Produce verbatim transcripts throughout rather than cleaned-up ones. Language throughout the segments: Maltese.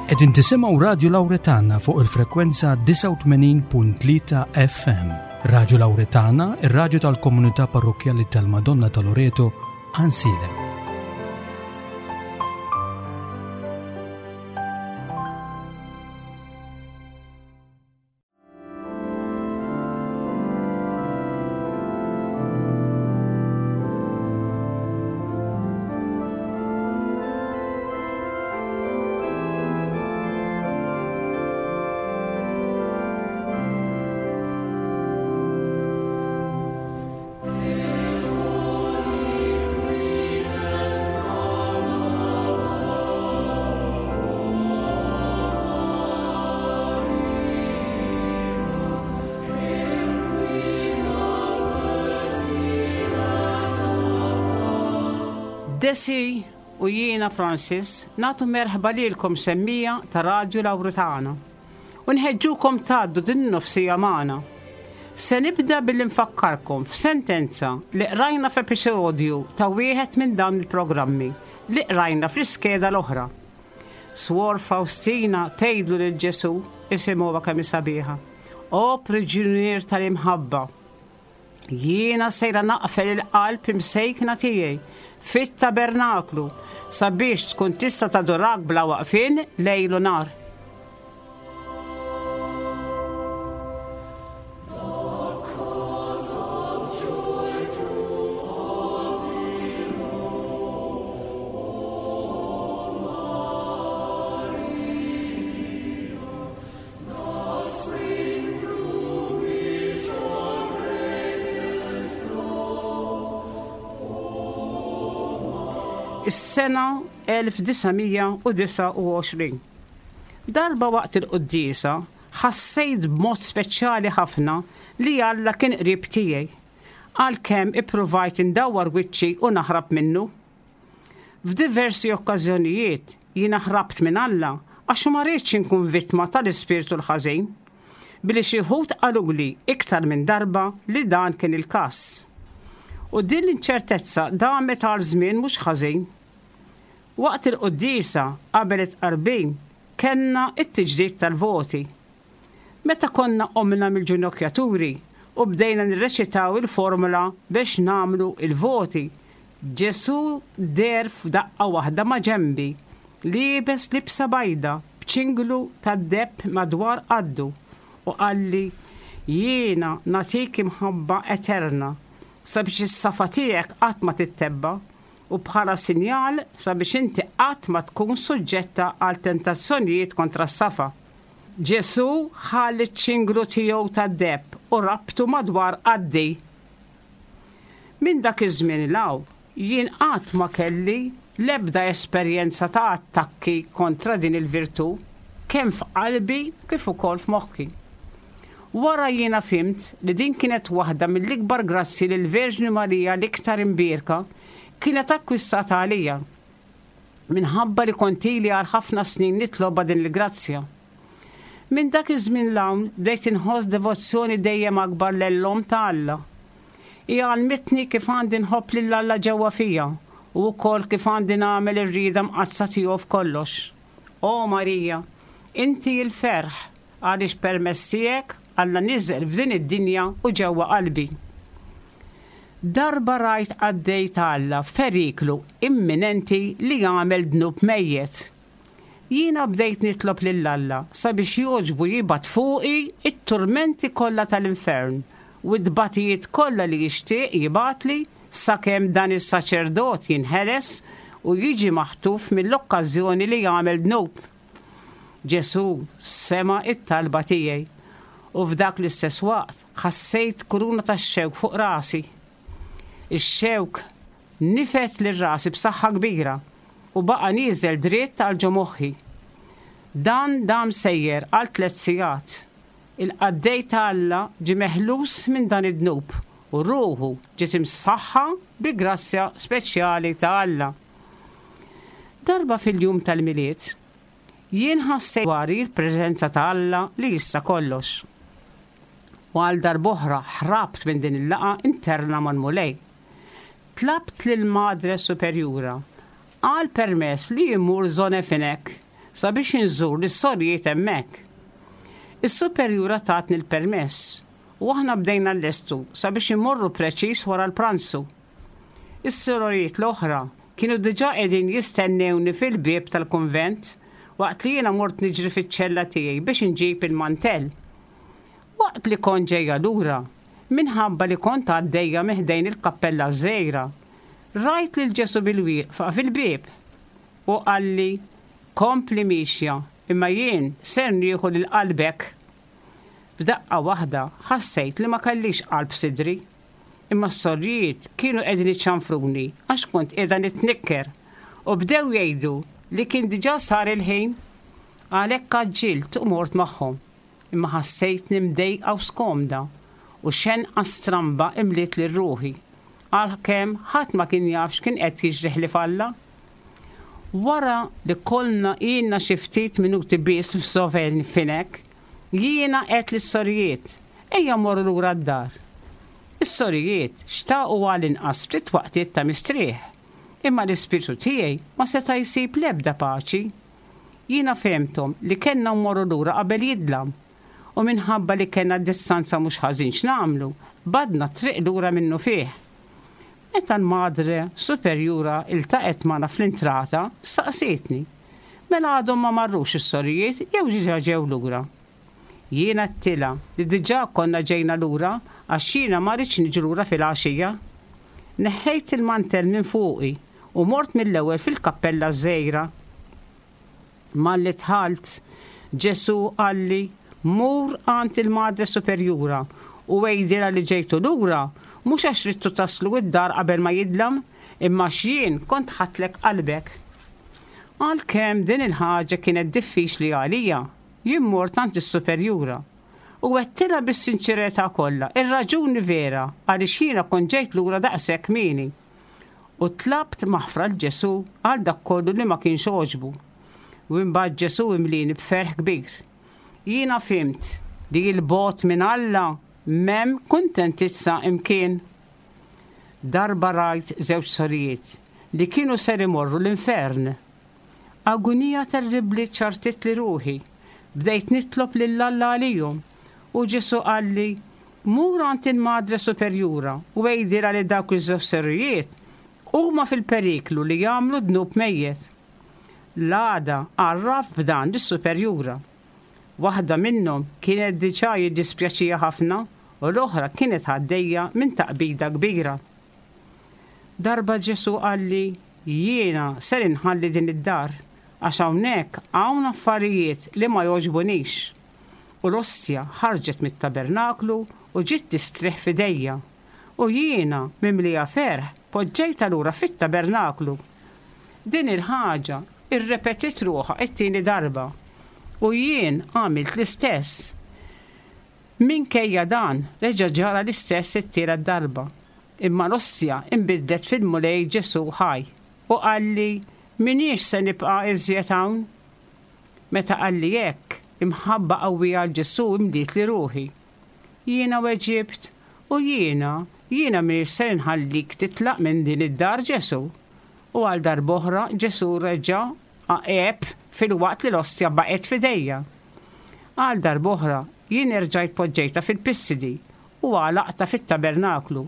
Qegħdin tisimgħu Radju Lawretana fuq il-frekwenza disgħa u tmenin punt tlieta F M. Radju Lawretana, ir-radju tal-Komunità Parrokkjali tal-Madonna ta' Loreto, Għajnsielem. Desi u jiena Francis nagħtu merħba lilkom, semmiegħa ta' Radju Lawretana, u nħeġġukom tgħaddu din nofs-siegħa magħna. Se nibda billi nfakkarkom f'sentenza li qrajna f'episodju ta' wieħed minn dawn il-programmi li qrajna fl-iskeda l-oħra. Swor Faustina tgħidlu lil Ġesu, isimgħu kemm sabiħa: "O priġunier tal-imħabba, jiena sejra naqfel il-qalb imsejkna tiegħi fit-tabernaklu sabiex tkun tista' tadurak bla waqfien lejl u nhar." Is-sena elf disa' mija u disgħa u għoxrin. Darba waqt il-quddiesa ħassejt b'mod speċjali ħafna li Alla kien qrib tiegħi, għalkemm ippruvajt indawwar wiċċi u naħrab minnu. F'diversi okkażjonijiet jiena ħrabt minn Alla għax ma rridx inkun vittma tal-ispirtu l-ħażin, billi xi wħud qaluli iktar minn darba li dan kien il-każ. U din l-inċertezza damet għal żmien mhux ħażin. Waqt il-quddiesa qabel it-tqarbin kellna it-tiġdid tal-voti. Meta konna qomna mill-ġinokjaturi u bdejna nirreċitaw il-formula biex nagħmlu il-voti, Ġesu deher f'daqqa waħda ma' ġembi, liebes libsa bajda b'ċinglu tad-deheb madwar qaddu, u qalli: "Jiena nagħtik imħabba eterna sabiex is-safa tiegħek qatt ma tittebba' u bħala sinjal sabiex inti qatt ma tkun suġġetta għal tentazzjonijiet kontra s-safa." Ġesu ħall iċ-ċinglu tiegħu tad-deheb u rabtu madwar qaddi. Minn dak iż-żmien 'l hawn jien qatt ma kelli l-ebda esperjenza ta' attakki kontra din il-virtù, kemm f'qalbi kif ukoll f'moħħi. Wara jiena fhimt li din kienet waħda mill-ikbar grazzi li l-Verġni Marija l-iktar imbierka kienet akkwistat għalija, minħabba li kont ili għal ħafna snin nitloba din il-grazzja. Minn dak iż-żmien 'l hawn bdejt inħoss devozzjoni dejjem akbar lejn l-Omm ta' Alla. Hija għallmitni kif għandi nħobb lil Alla ġewwa fija u wkoll kif għandi nagħmel ir-rieda mqaddsa tiegħu f'kollox. O Marija, inti l-ferħ, għaliex permezz tiegħek Alla niżel f'din id-dinja u ġewwa qalbi. Darba rajt qaddej ta' Alla f'periklu imminenti li jagħmel dnub mejjet. Jiena bdejt nitlob lil Alla sabiex jogħġbu jibgħat fuqi it-turmenti kollha tal-infern u t-tbatijiet kollha li jixtieq jibgħatli, sakemm dan is-saċerdot jinħeles u jiġi maħtuf mill-okkażjoni li jagħmel dnub. Ġesu sema' it-talba tiegħi u f'dak l-istess waqt ħassejt kuruna ta' xewk fuq rasi. Ix-xewk nifed lil rasi b'saħħa kbira u baqa' nieżel dritt għal ġo moħħi. Dan dam sejjer għal tliet sigħat. Il-qaddej ta' Alla ġie meħlus minn dan id-dnub u ruħu ġiet imsaħħa bi grazzja speċjali ta' Alla. Darba fil-jum tal-Milied, jien ħassejt dwari l-preżenza ta' Alla li jista' kollox. U għal darb'oħra ħrabt minn din il-laqgħa interna mal-Mulej. Tlabt lil Madre Superjura għal permess li jmur Zone Finek sabiex inżur lis-sorijiet hemmhekk. Is-superjura tatni l-permess u aħna bdejna nlestu sabiex immorru preċiż wara l-pranzu. Is-sorijiet l-oħra kienu diġà qegħdin jistennewni fil-bieb tal-kunvent waqt li jiena mort niġri fiċ-ċella tiegħi biex inġib il-mantell. Waqt li kont ġejja lura, minħabba li kont għaddejja minn ħdejn il-kappella żgħira, rajt lil Ġesù bilwieqfa fil-bieb u qalli kompli mixja imma jien ser nieħu lil qalbek. F'daqqa waħda ħassejt li ma kellix qalb sidri, imma s-sorijiet kienu qegħdin iċanfruni għax kont qiegħda nitnikker u bdew jgħidu li kien diġà sar il-ħin għalhekk għaġġilt u mort magħhom. Imma ħassejtni mdejqa u skomda u xenqa stramba imliet lil ruħi għalkemm ħadd ma kien jaf x'kien qed jiġri ħlief Alla. Wara li kollna ilna xi ftit minuti biss f'Sovefinek, jiena għedt lis-sorijiet, ejja mmorru lura d-dar. Is-sorijiet xtaqu għal inqas ftit waqtiet ta' mistrieħ, imma l-ispirtu tiegħi ma seta' jsib l-ebda paċi. Jiena fehmthom li kellna mmorru lura qabel jidlam, u minħabba li kellna distanza mhux ħażin x'nagħmlu, qbadna t-triq lura minnufih. Meta l-madre superjura iltaqgħet magħna fl-intrata, saqsietni, mela għadhom ma marrux is-sorijiet jew diġà ġew lura. Jiena għedtilha li diġà konna ġejna lura għax jiena ma ridtx niġi lura fil-għaxija. Neħħejt il-mantell minn fuqi u mort mill-ewwel fil-kappella żgħira. Malli dħalt, Ġesù qalli mur għand il-madre superjura u għidilha li ġejtu lura mhux għax ridtu taslu id-dar qabel ma jidlam, imma għax jien kont ħadtlek qalbek. Għalkemm din il-ħaġa kienet diffiċli għalija, jien mort għand is-superjura u għedtilha bis-sinċerità kollha ir-raġuni vera għaliex jiena kont ġejt lura daqshekk kmieni. U tlabt maħfra lil Ġesù għal dak kollu li ma kienx għoġbu. U imbagħad Ġesù imlini b'ferħ kbir. Jiena fhimt li 'l bogħod minn Alla m'hemm kuntentizza imkien. Darba rajt żewġ sorijiet li kienu ser imorru l-infern. Agunija terribli ċarrtitli ruħi. Bdejt nitlob lil Alla għalihom u Ġesù qalli mur għand il-Madre Superjura u għidilha li dawk iż-żewġ sorijiet huma fil-periklu li jagħmlu dnub mejjet. L-għada għarraft b'dan lis-Superjura. Waħda minnhom kienet diġà jiddispjaċiha ħafna u l-oħra kienet għaddejja minn taqbida kbira. Darba Ġesù qalli jiena ser inħalli din id-dar għax hawnhekk hawn affarijiet li ma jogħġbunix. U l-ostja ħarġet mit-tabernaklu u ġiet tistrieħ f'idejja. U jiena mimlija ferħ poġġejtha lura fit-tabernaklu. Din il-ħaġa irrepetiet ruħha it-tieni darba u jien għamilt l-istess. Minkejja dan reġa' ġara l-istess it-tielet darba. Imma l-ostja imbidlet fil-Mulej Ġesù ħaj u qalli m'iniex se nibqa' iżjed hawn. Meta qalli hekk, imħabba qawwija għal Ġesù imlietli ruħi. Jiena weġibt u jiena, jiena m'iniex se nħallik titlaq minn din id-dar Ġesù. U għal darb'oħra Ġesù reġa' għeb filwaqt li l-ostja baqgħet f'idejja. Għal darb'oħra jien erġajt poġġejtha fil-pissidi u għalaqtha fit-tabernaklu.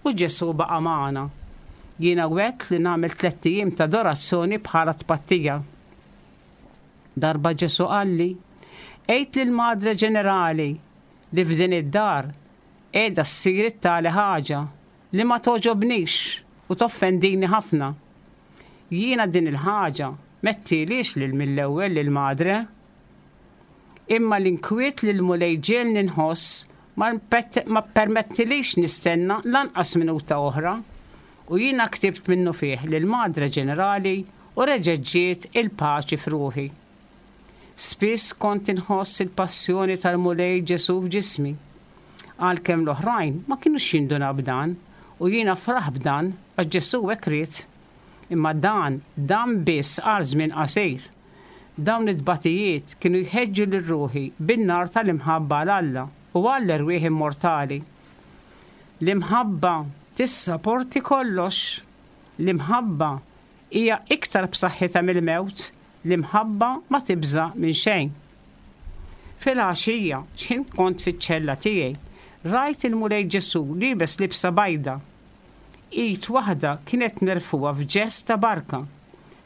U Ġesù baqa' magħna. Jiena wegħedt li nagħmel tlett ijiem ta' adorazzjoni bħala tpattija. Darba Ġesù qalli, għid lill-Madre Ġenerali li f'din id-dar qiegħda ssir it-tali ħaġa li ma togħġobnix u toffendini ħafna. Jiena din il-ħaġa m'għedthielhiex lil mill-ewwel lill-Madre. Imma l-inkwiet li l-Mulej ġiegħelni nħoss ma permettilix nistenna lanqas minuta oħra u jiena ktibt minnufih lill-Madre Ġenerali u reġgħet ġiet il-paċi f'ruħi. Spiss kont inħoss il-passjoni tal-Mulej Ġesù f'ġismi. Għalkemm l-oħrajn ma kinux jindunaw b'dan u jiena nifraħ b'dan għax Ġesù hekk ried. Imma dan, dan biss għal żmien qasir. Dawn it-tbatijiet kienu jħeġġu lil ruħi bin-nar tal-imħabba għal Alla u għall-erwieħ immortali. L-imħabba tissaporti kollox. L-imħabba hija iktar b'saħħitha mill-mewt L-imħabba ma tibża' minn xejn. Fil-għaxija, x'ħin kont fiċ-ċella tiegħi, rajt il-Mulej Ġesù liebes libsa bajda. Id waħda kienet merfugħa f'ġest ta' barka.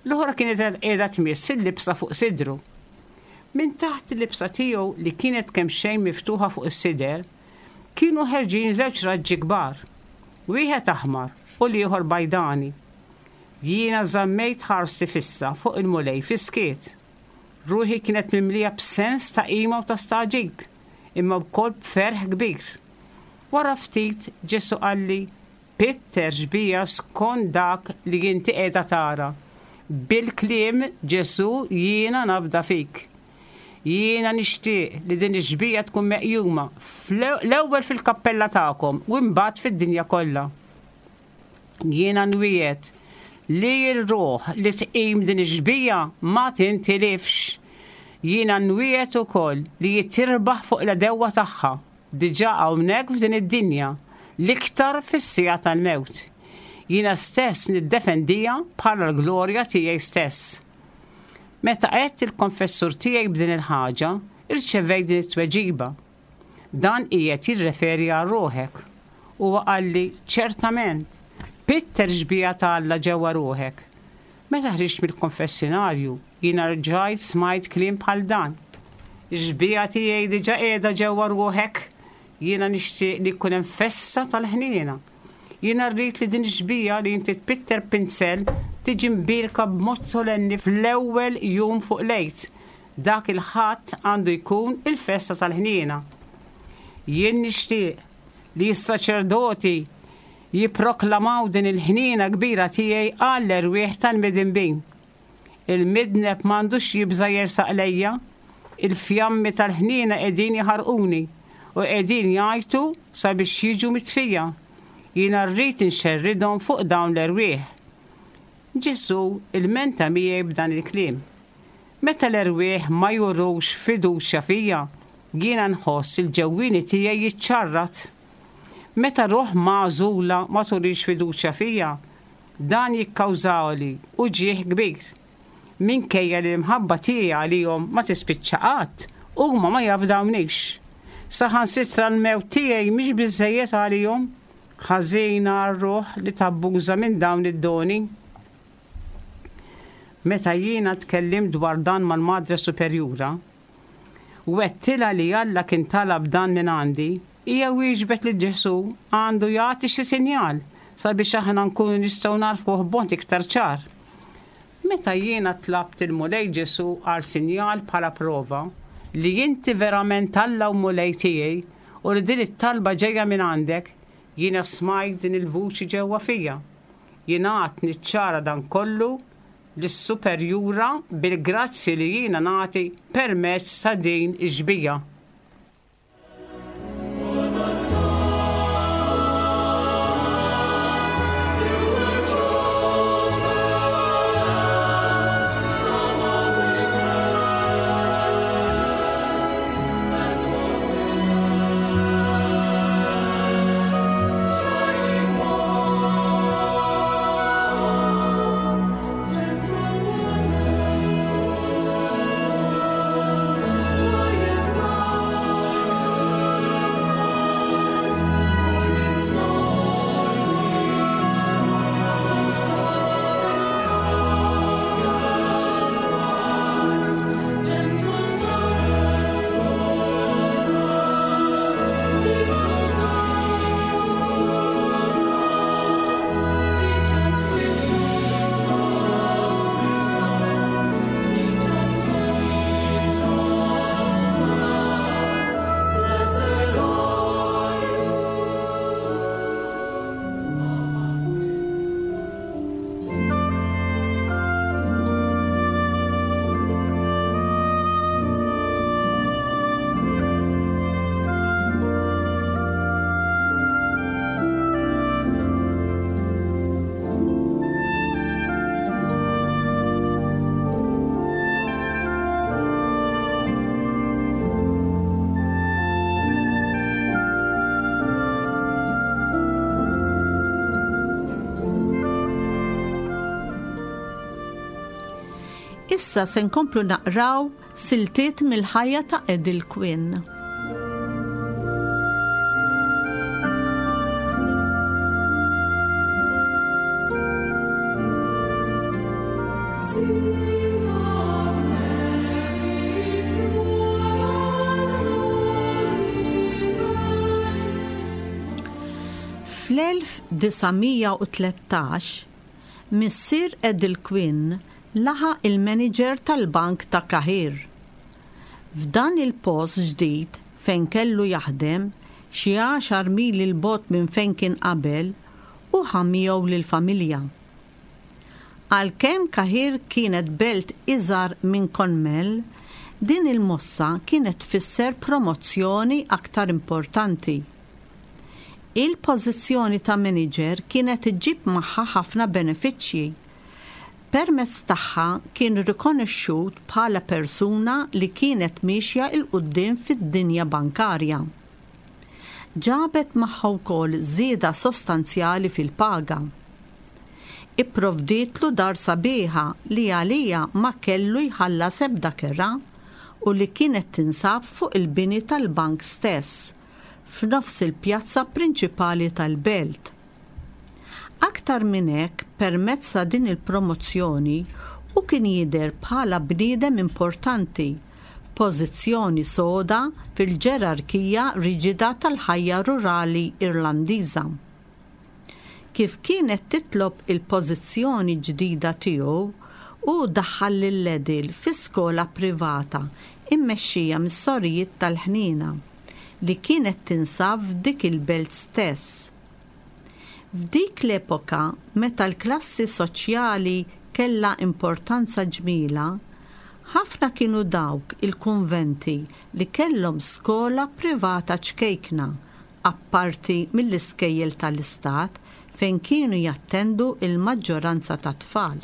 L-oħra kienet qiegħda tmiss il-libsa fuq sidru. Minn taħt il-libsa tiegħu li kienet kemxejn miftuħa fuq is-sider, kienu ħerġin żewġ raġġi kbar, wieħed aħmar u l-ieħor bajdani. Jiena żammejt ħarsi fissa fuq il-Mulej fis-skiet. Ruħi kienet mimlija b'sens ta' qima u ta' stagħġib, imma wkoll b'ferħ kbir. Wara ftit Ġesù qalli, "Pitter xbieha skont dak li inti qiegħda tara." Bil-kliem Ġesù jiena nafda fik. Jiena nixtieq li din ix-xbieha tkun meqjuma l-ewwel fil-kappella tagħkom u mbagħad fid-dinja kollha. Jiena nwiegħed li r-ruħ li tqim din ix-xbieha ma tintilifx. Jiena nwiegħed ukoll li tirbaħ fuq l-għedewwa tagħha diġà hawnhekk f'din id-dinja, l-iktar fis-siegħa tal-mewt. Jiena stess niddefendiha bħala l-glorja tiegħi stess. Meta għedt lill-konfessur tiegħi b'din il-ħaġa, irċevejt din it-tweġiba. Dan qiegħed jirreferi għal ruħek. Huwa qalli ċertament, pitter xbieha ta' Alla ġewwa ruħek. Meta ħriġt mill-konfessinarju, jiena rġajt smajt kliem bħal dan. Xbieha tiegħi diġà qiegħda ġewwa ruħek, jiena nixtieq li jkun hemm festa tal-ħniena. Jiena rrid li din xbieha li inti tpitter b'pinsel tiġi mbierka b'mod solenni fl-ewwel jum fuq l-Għid. Dak il-Ħadd għandu jkun il-festa tal-ħniena. Jien nixtieq li s-saċerdoti jipproklamaw din il-ħniena kbira tiegħi għall-erwieħ tal-midinbin. Il-midneb m'għandux jibża' jersaq lejja, il-fjammi tal-ħniena qegħdin jaħarquni u qegħdin jgħajtu sabiex jiġu mitfija. Jiena rrid inxerridhom fuq dawn l-erwieħ. Ġesù ilmenta miegħi b'dan il-kliem. Meta l-erwieħ ma jurux fiduċja fija, jiena nħoss il-ġewwieni tiegħi jiċċarrat. Meta ruħ magħżula ma turix fiduċja fija, dan jikkawżali uġigħ kbir. Minkejja li l-imħabba tiegħi għalihom ma tispiċċa qatt, huma ma jafdawnix. Saħansitra l-mewt tiegħi mhix biżejjed għalihom, ħażina r-ruħ li tabbuża minn dawn id-doni. Meta jiena tkellimt dwar dan mal-Madre Superjura, u għedtilha li Alla kien talab dan minn għandi, hija wieġbet li Ġesù għandu jagħti xi sinjal sabiex aħna nkunu nistgħu nagħrfuh b'mod iktar ċar. Meta jiena tlabt il-Mulej Ġesù għal sinjal bħala prova li inti verament Alla u Mulej tiegħi u li din it-talba ġejja minn għandek, jiena smajt din il-vuċi ġewwa fija. Jiena għad niċċara dan kollu lis-superjura bil-grazzi li jiena nagħti permezz ta' din ix-xbieha. For the Son, you were chosen from all women, and for women, shining one, gentle, gentle, quiet Issa se nkomplu naqraw siltiet mill-ħajja ta' Edel Quinn. Fl-elf disa' mija u tlettax, missier Edel Quinn laħaq il-manager tal-bank ta' Cahir. F'dan il-post ġdid fejn kellu jaħdem, xi għaxar mili 'l bogħod minn fejn kien qabel, u ħa miegħu lill-familja. Għalkemm Cahir kienet belt iżgħar minn Clonmel, din il-mossa kienet tfisser promozzjoni aktar importanti. Il-pożizzjoni ta' manager kienet iġġib magħha ħafna benefiċċji. Permezz tagħha kien rikonoxxut bħala persuna li kienet miexja 'l quddiem fid-dinja bankarja. Ġabet magħha wkoll żieda sostanzjali fil-paga. Ipprovdietlu dar sabiħa li għalija ma kellu jħallas ebda kera u li kienet tinsab fuq il-bini tal-bank stess, f'nofs il-pjazza prinċipali tal-belt. Aktar minn hekk, permezz ta' din il-promozzjoni, u kien jidher bħala bniedem importanti, pożizzjoni soda fil-ġerarkija riġida tal-ħajja rurali Irlandiża. Kif kienet titlob il-pożizzjoni ġdida tiegħu, u daħħal lil Edel fi skola privata immexxija mis-sorijiet tal-ħniena li kienet tinsab f'dik il-belt stess. F'dik l-epoka, meta l-klassi soċjali kellha importanza ġmila, ħafna kienu dawk il-kunventi li kellhom skola privata ċkejkna, apparti mill-iskejjel tal-istat fejn kienu jattendu il-maġġoranza ta' tfal.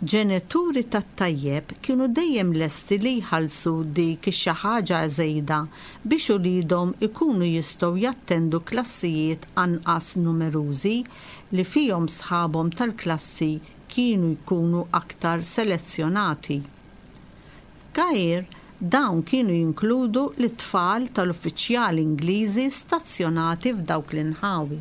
Ġenituri tat-tajjeb kienu dejjem lesti li jħallsu dik xi ħaġa żejda biex uliedhom ikunu jistgħu jattendu klassijiet anqas numerużi li fihom sħabhom tal-klassi kienu jkunu aktar selezzjonati. F'Cahir dawn kienu jinkludu l-tfal tal-uffiċjali Ingliżi stazzjonati f'dawk l-inħawi.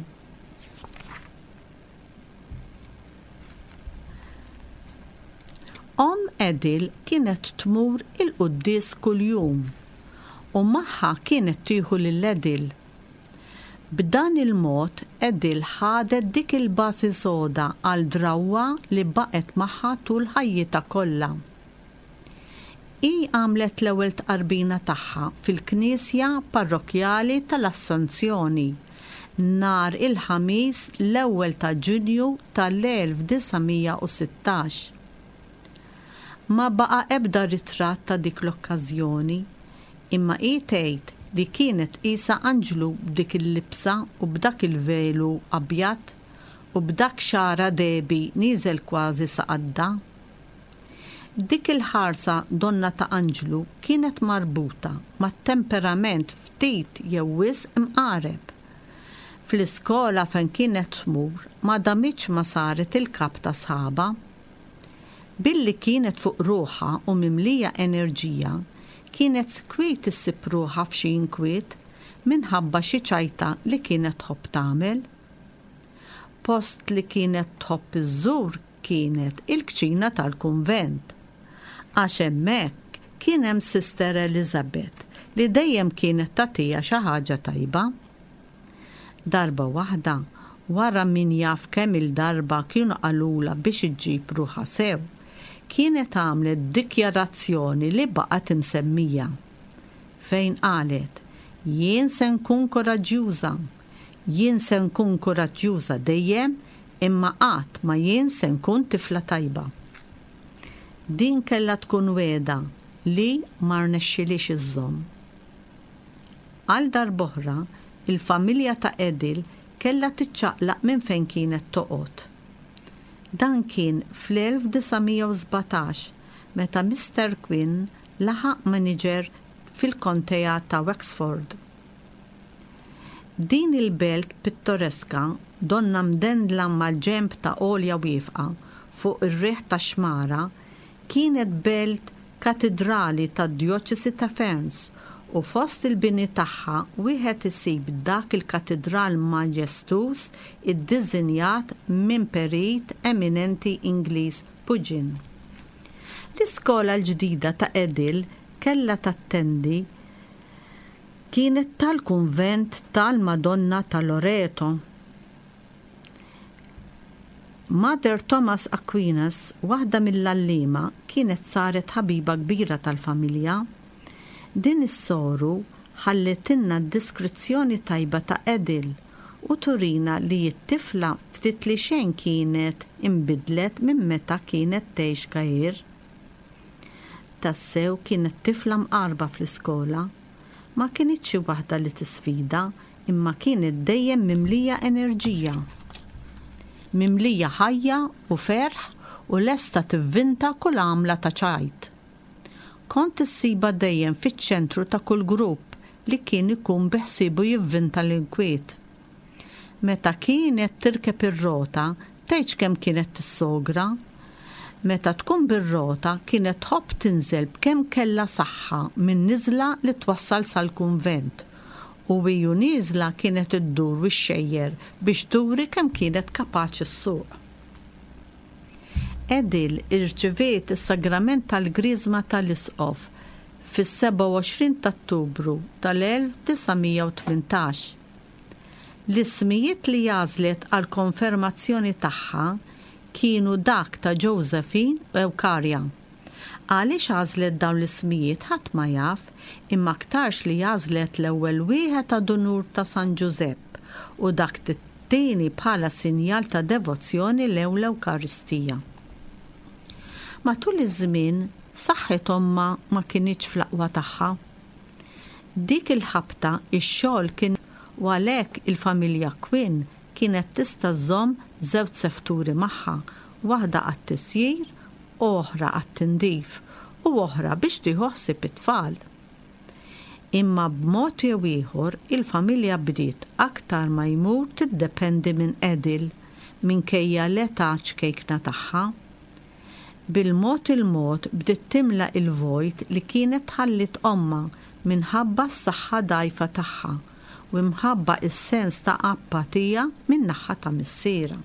Omm Edel kienet tmur il-quddies kuljum u magħha kienet tieħu lil Edel. B'dan il-mod Edel ħadet dik il-bażi soda għal drawwa li baqgħet magħha tul ħajjitha kollha. Hi għamlet l-ewwel tqarbina tagħha fil-Knisja Parrokkjali tal-Assunzjoni nhar il-Ħamis l-ewwel ta' Ġunju tal-elf disa' mija u sittax. Ma baqa' ebda ritratt ta' dik l-okkażjoni, imma hi tgħid li kienet qisha anġlu b'dik il-libsa u b'dak il-velu abjad u b'dak xara debi nieżel kważi sa qadda. Dik il-ħarsa donna ta' anġlu kienet marbuta mat-temperament ftit jew wisq imqareb. Fl-iskola fejn kienet tmur ma damitx ma saret il-kap ta' sħaba. Billi kienet fuq ruħha u mimlija enerġija, kienet skwiet issib ruħha f'xi inkwiet minħabba xi ċajta li kienet tħobb tagħmel. Post li kienet tħobb iżżur kienet il-kċina tal-kunvent. Għax hemmhekk kien hemm Sister Elizabeth li dejjem kienet tagħtiha xi ħaġa tajba. Darba waħda, wara min jaf kemm il-darba kienu qalula biex iġġib ruħha sew, kienet għamlet dikjarazzjoni li baqgħet imsemmija, fejn qalet: Jien se nkun koraġġjuża, jien se nkun koraġġjuża dejjem, imma qatt ma jien se nkun tifla tajba. Din kellha tkun wegħda li ma rnexxilix iżżomm. Għal darb'oħra, il-familja ta' Edel kellha tiċċaqlaq minn fejn kienet toqgħod. Dan kien fl-elf disa' mija u sbatax meta Mister Quinn laħaq manager fil-kontea ta' Wexford. Din il-belt pittoreska donna mdendla mal-ġenb ta' għolja wieqfa fuq ir-riħ ta' xmara Kienet belt katidrali tad-djoċesi ta' Ferns u fost il-bini tagħha wieħed isib dak il-katidral maġestuż iddiżinjat minn perit eminenti Ingliż Pugin. L-iskola l-ġdida ta' Edil kellha tattendi kienet tal-kunvent tal-Madonna ta' Loreto. Mother Thomas Aquinas, waħda mill-għalliema, kienet saret ħabiba kbira tal-familja. Din is-soru ħallitilna deskrizzjoni tajba ta' Edil u turina li t-tifla ftit li xejn kienet imbidlet minn meta kienet tgħix Cahir. Tassew kienet tifla mqarba fl-iskola. Ma kinitx xi waħda li tisfida, imma kienet dejjem mimlija enerġija. Mimlija ħajja u ferħ u lesta tivvinta kull għamla ta' ċajt. Kont issibha dejjem fiċ-ċentru ta' kull grupp li kien ikun biħsibu jivvinta l-inkwiet. Meta kienet tirkeb ir-rota, tgħidx kemm kienet tissogra. Meta tkun bir-rota kienet tħobb tinżel b'kemm kellha saħħa minn niżla li twassal sal-kunvent. U hi u nieżla kienet iddur u xxejjer biex turi kemm kienet kapaċi ssuq. Edil irċiviet is-sagrament tal-Griżma tal-Isqof fis-sebgħa u għoxrin ta' Ottubru tal-elf disa' mija u tmintax. L-ismijiet li għażlet għall-konfermazzjoni tagħha kienu dak ta' Josephine u Eukarja. Għaliex għażlet dawn l-ismijiet ħadd ma jaf, imma aktarx li għażlet l-ewwel wieħed ta' donur ta' San Ġużepp u dak t-tieni bħala sinjal ta' devozzjoni lejn l-Ewkaristija. Matul iż-żmien, saħħet ommha ma kinitx fl-aqwa tagħha. Dik il-ħabta ix-xogħol kien u għalhekk il-familja Quinn kienet tista' żżomm żewġ sefturi magħha, waħda għat-tisjir, oħra għat-tindif u oħra biex tieħu ħsieb it-tfal. Imma b'mod jew ieħor il-familja bdiet aktar ma jmur tiddependi minn Edil minkejja l-età ċkejkna tagħha. Bil-mod il-mod bdiet timla il-vojt li kienet tħallit ommha minħabba s-saħħa dgħajfa tagħha u mħabba is-sens ta' apatija min-naħa ta' missierha.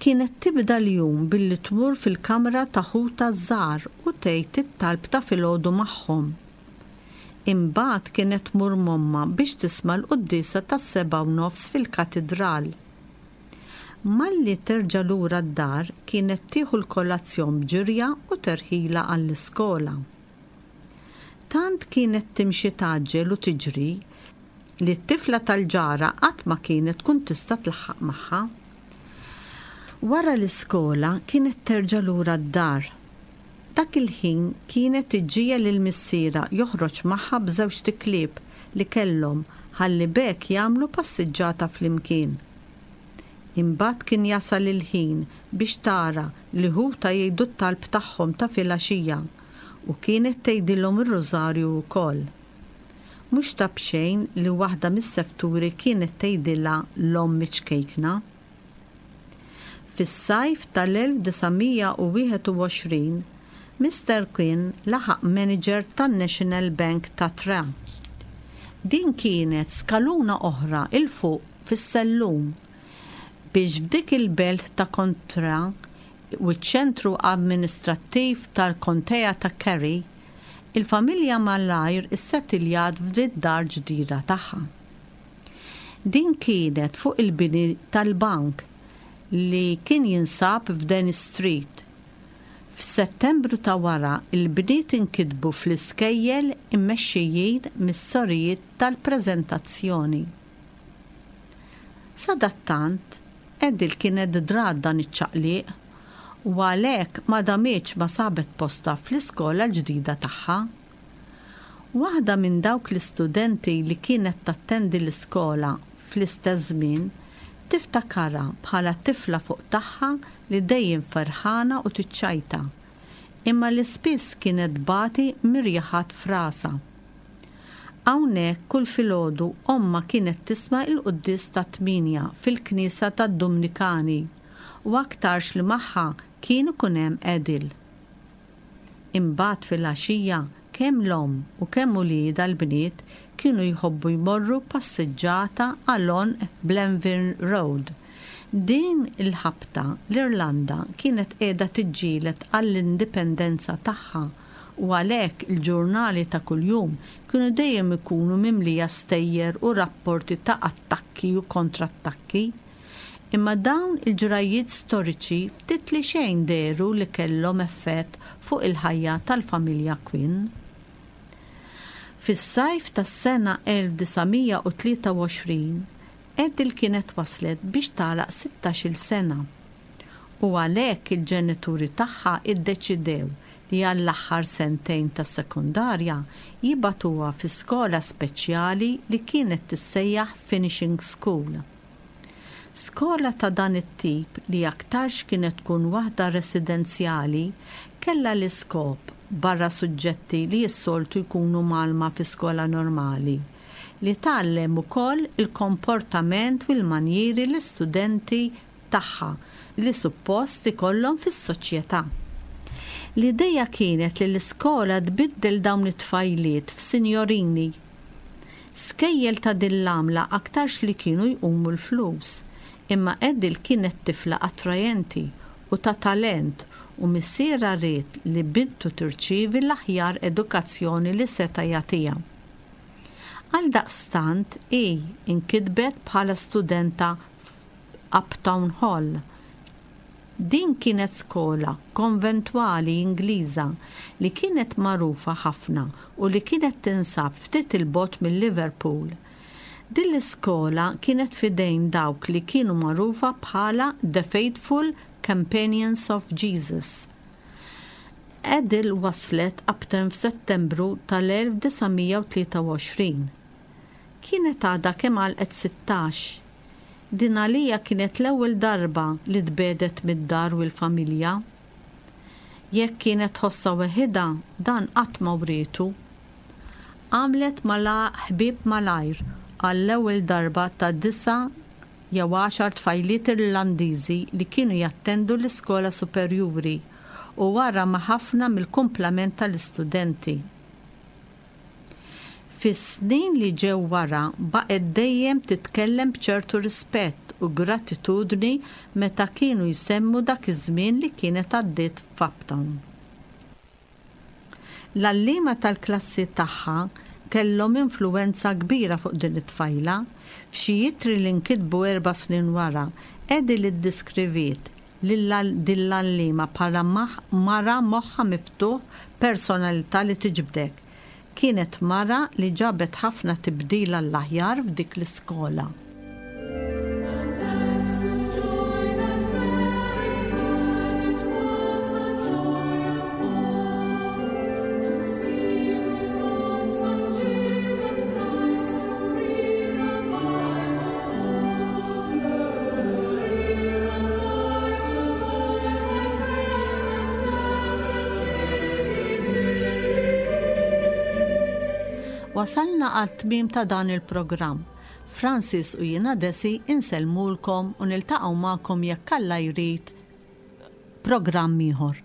Kienet tibda l-jum billi tmur fil-kamra ta' ħuta żgħar u tgħid it-talb ta' filgħodu magħhom. Imbagħad kienet tmur momma biex tisma' l-quddiesa tas-sebgħa u nofs fil-katidral. Malli terġa' lura d-dar kienet tieħu l-kolazzjon b'ġirja u terħila għall-iskola. Tant kienet timxi tgħaġġel u tiġri li t-tifla tal-ġara qatt ma kienet tkun tista' tlaħħaq magħha. Wara l-iskola kienet terġa' lura d-dar. Dak il-ħin kienet iġġiegħel lil missierha joħroġ magħha b'żewġt iklieb li kellhom ħalli b'hekk jagħmlu passiġġata flimkien. Imbagħad kien jasal il-ħin biex tara li ħuta jgħidu t-talb tagħhom ta' filgħaxija u kienet tgħidilhom ir-rużarju wkoll. Mhux ta' b'xejn li waħda mis-sefturi kienet tgħidilha l-omm ċkejkna. Fis-sajf tal-elf disa' mija u wieħed u għoxrin, Mister Quinn laħaq manager tan-National Bank ta' Tra. Din kienet skaluna oħra il fuq fis-sellum biex f'dik il-belt ta' Kontra u ċ-ċentru amministrattiv tal-Kontea ta' Kerry, il-familja malajr issettiljat f'din dar ġdida tagħha. Din kienet fuq il-bini tal-bank li kien jinsab f'Denny Street. F'Settembru ta' wara il-bniet inkitbu fl-iskejjel immexxijin mis-sorijiet tal-preżentazzjoni. Sadattant, Edil kienet drat dan iċ-ċaqliq u għalhekk ma damitx ma sabet posta fl-iskola l-ġdida tagħha. Waħda minn dawk l-istudenti li kienet tattendi l-iskola fl-istess żmien tiftakarha bħala tifla fuq tagħha li dejjem ferħana u tiċċajta, imma li spiss kienet bati mirjaħat frasa. Hawnhekk kull filgħodu omma kienet tisma' il-quddies ta' tminja fil-knisja tad-Dominikani u aktarx li magħha kien ikun hemm Edil. Imbagħad filgħaxija kemm l-omm u kemm uliedha l-bniet kienu jħobbu jmorru passiġġata għal għonq Blenville Road. Din il-ħabta l-Irlanda kienet qiegħda tiġġieled għall-indipendenza tagħha u għalhekk il-ġurnali ta' kuljum kienu dejjem ikunu mimlija stejjer u rapporti ta' attakki u kontrattakki. Imma dawn il-ġrajiet storiċi ftit li xejn dehru li kellhom effett fuq il-ħajja tal-familja Quinn. Fis-sajf tas-sena elf disa' mija u tlieta u għoxrin, Edel kienet waslet biex tagħlaq sittax-il sena u għalhekk il-ġenituri tagħha iddeċidew li għall-aħħar sentejn tas-sekondarja jibagħtuha fi skola speċjali li kienet tissejjaħ Finishing School. Skola ta' dan it-tip, li aktarx kienet tkun waħda residenzjali, kellha l-iskop, barra suġġetti li s-soltu jkunu mgħallma fi skola normali, li tgħallem ukoll il-komportament u l-manjieri l-istudenti tagħha li suppost ikollhom fis-soċjetà. L-ideja kienet li l-iskola tbiddel dawn it-tfajliet f'sinjorini. Skejjel ta' din l-għamla aktarx li kienu jqumu l-flus, imma Edel kienet tifla attrajenti u ta' talent u missierha ried li bintu tirċievi l-aħjar edukazzjoni li seta' jagħtiha. Għaldaqstant hi inkitbet bħala studenta f'Upton Hall. Din kienet skola konventwali Ingliża li kienet magħrufa ħafna u li kienet tinsab ftit il-bogħod mill-Liverpool. Din l-iskola kienet fidejn dawk li kienu magħrufa bħala The Faithful Companions of Jesus. Edel waslet Upton f'Settembru tal-elf disa' mija u tlieta u għoxrin. Kienet għadha kemm għalqet sittax. Din għaliha kienet l-ewwel darba li tbiegħdet mid-dar u l-familja. Jekk kienet tħossha weħidha, dan qatt ma wrietu. Għamlet mala ħbieb malajr għall-ewwel darba ta' disa' jew għaxar tfajliet Irlandiżi li kienu jattendu l-iskola superjuri u wara ma' ħafna mill-kumplament tal-istudenti. Fis-snin li ġew wara baqgħet dejjem titkellem b'ċertu rispett u gratitudni meta kienu jsemmu dak iż-żmien li kienet għaddiet f'Upton. L-għalliema tal-klassi tagħha kellhom influenza kbira fuq din it-tfajla. F'xi ittri li nkitbu erba' snin wara, Edel iddeskriviet lil din l-għalliema bħala mara moħħa miftuħ, personalità li tiġbdek. Kienet mara li ġabet ħafna tibdil għall-aħjar f'dik l-iskola. Joy that Mary had, it was the joy of four, to see her own son Jesus Christ, to read the Bible o'er. To hear a voice adore, my friend, blessed is it be. Wasalna għat-tmiem ta' dan il-programm. Francis u jiena Desi insellmulkom u niltaqgħu magħkom, jekk Alla jrid, programm ieħor.